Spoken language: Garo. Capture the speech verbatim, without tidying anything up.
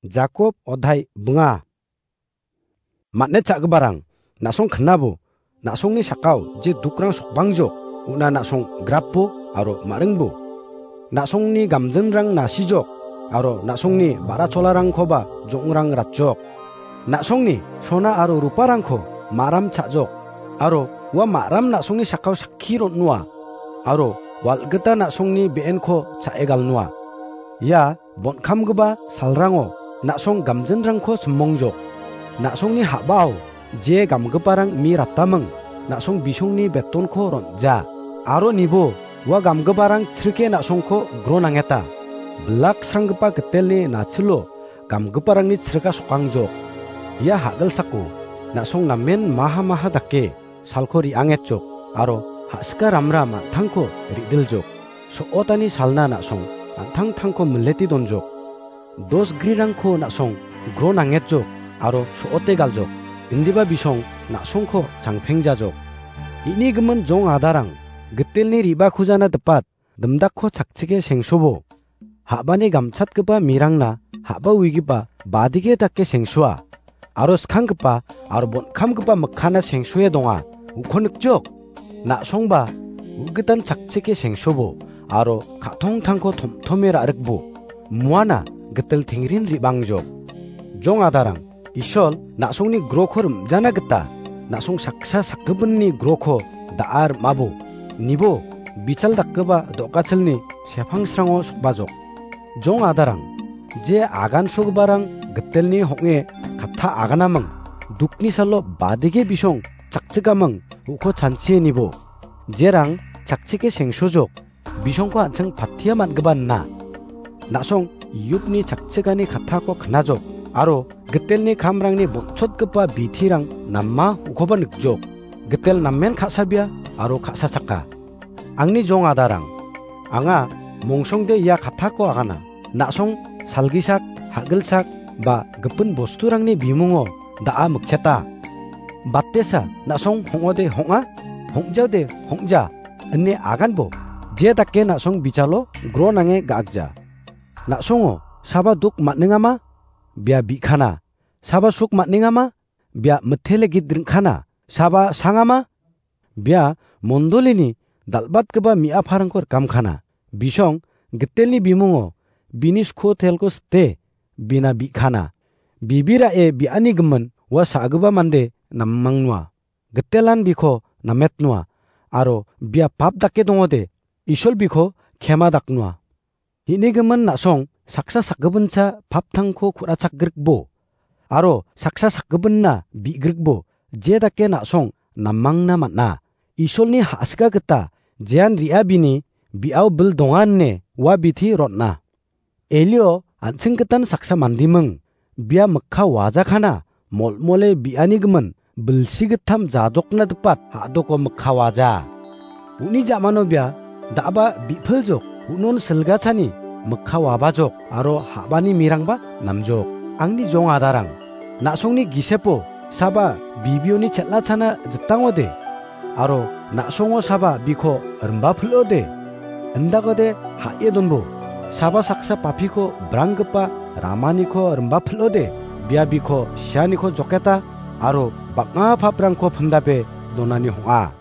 Jakob odhai bnga. Matnet cha·giparang, na·song knabo, na·songni sakao je dukrang sokbangjok, una na·song grapbo aro ma·ringbo. Na·songni gamjinrang nasijok, aro na·songni ba·ra cholarangkoba jong·rang ratjok. Na·songni sona aro ruparangko ma·ram cha·jok, aro ua ma·ram na·songni sakao sakki ron·noa, aro wal·gita na·songni be·enko cha·e galnoa. Ia bon·kamgipa salrango na·song gamjinrangko simongjok. Na·songni ha·bao je gamgiparang mi rataming, na·song bisongni betonko ron·ja. Aro nibo ua gamgiparang chrike na·songko gro nangeta. Bilak sranggipa gitelni nachilo gamgiparangni chrika sokangjok. Ia ha·gilsako na·song namen maha maha dake salko re·angetjok, aro ha·sika ramra man·tangko re·diljok. So·otani salna na·song an·tangtangko mileti donjok. Dos grirangko na·song gro nangetjok, aro so·ote galjok. Indiba bisong na·songko changpengjajok. Ini gimin jong adarang, gitelni re·bakujana dipat, dimdakko chakchike sengsobo. Ha·bani gamchatgipa mirangna ha·ba uigipa badike dake sengsoa. Aro skanggipa aro bon·kamgipa mikkana sengsoe donga. Uko nikjok. Na·songba u·gitan chakchike sengsobo aro ka·tongtangko tom·tome ra·rikbo. Muana gitel tengrin re·bangjok. Jong adarang, Isol na·songni groko rim·jana gita na·song saksa sakgipinni groko da·a rim·abo. Nibo bichal dakgipa do·gacholni sepangsrango sokbajok. Jong adarang, je agansogiparang gitelni hong·e katta aganaming, dukni salo badege bisong chakchikaming, uko chanchie nibo. Jerang chakchike sengsojok, bisongko an·ching patia man·gipa na. Na·song Yupni chakchigani kattako knajok, aro gitelni kamrangni botchotgipa bitirang nama ukoba nikjok. Gitel namen ka·sabia aro ka·sachaka. Angni jong adarang, anga mongsongde ia kattako agana. Na·song salgisak, ha·gilsak ba gipin bosturangni bimungo da·a mikcheta. Batesa na·song hong·ode hong·a, hong·jaode hong·ja, ine aganbo, je dake na·song bichalo gro nange ga·akja. Na·songo saba duk man·engama? Bia bi·kana. Saba suk man·engama? Bia mitele git ring·kana. Saba sangama? Bia mondolini dal·batgipa mi·aparangko rikamkana. Bisong gitelni bimungo bini skutelko site, bina bi·kana. Bibira'e bi·ani gimin ua sa·gipa mande nammangnoa. Gitelan biko nametnoa, aro bia pap dake dongode, Isol biko kema daknoa. Hini gimin na·song saksa sakgipincha paptangko ku·rachakgrikbo, aro saksa sakgipinna bi·grikbo, je dake na·song namangna man·a. Isolni ha·sika gita jean re·a bini bi·ao bil donga ine ua biti rotna. Elio an·ching gitan saksa mandiming, bia mikka wajakana, molmole bi·ani gimin, bilsi gittam jadokna dipat ha·doko mikka waja. Uni ja·mano bia da·ba bi·piljok, unon silgachani mikka wabajok, aro ha·bani mirangba namjok. Angni jong adarang, na·songni gisepo saba bibioni chel·achana jitangode, aro na·songo saba biko rimba pil·ode, indakode ha·e donbo. Saba saksa papiko branggipa ramaniko rimba pil·ode, bia biko sianiko joketa, aro bang·a paprangko pindape donani hong·a.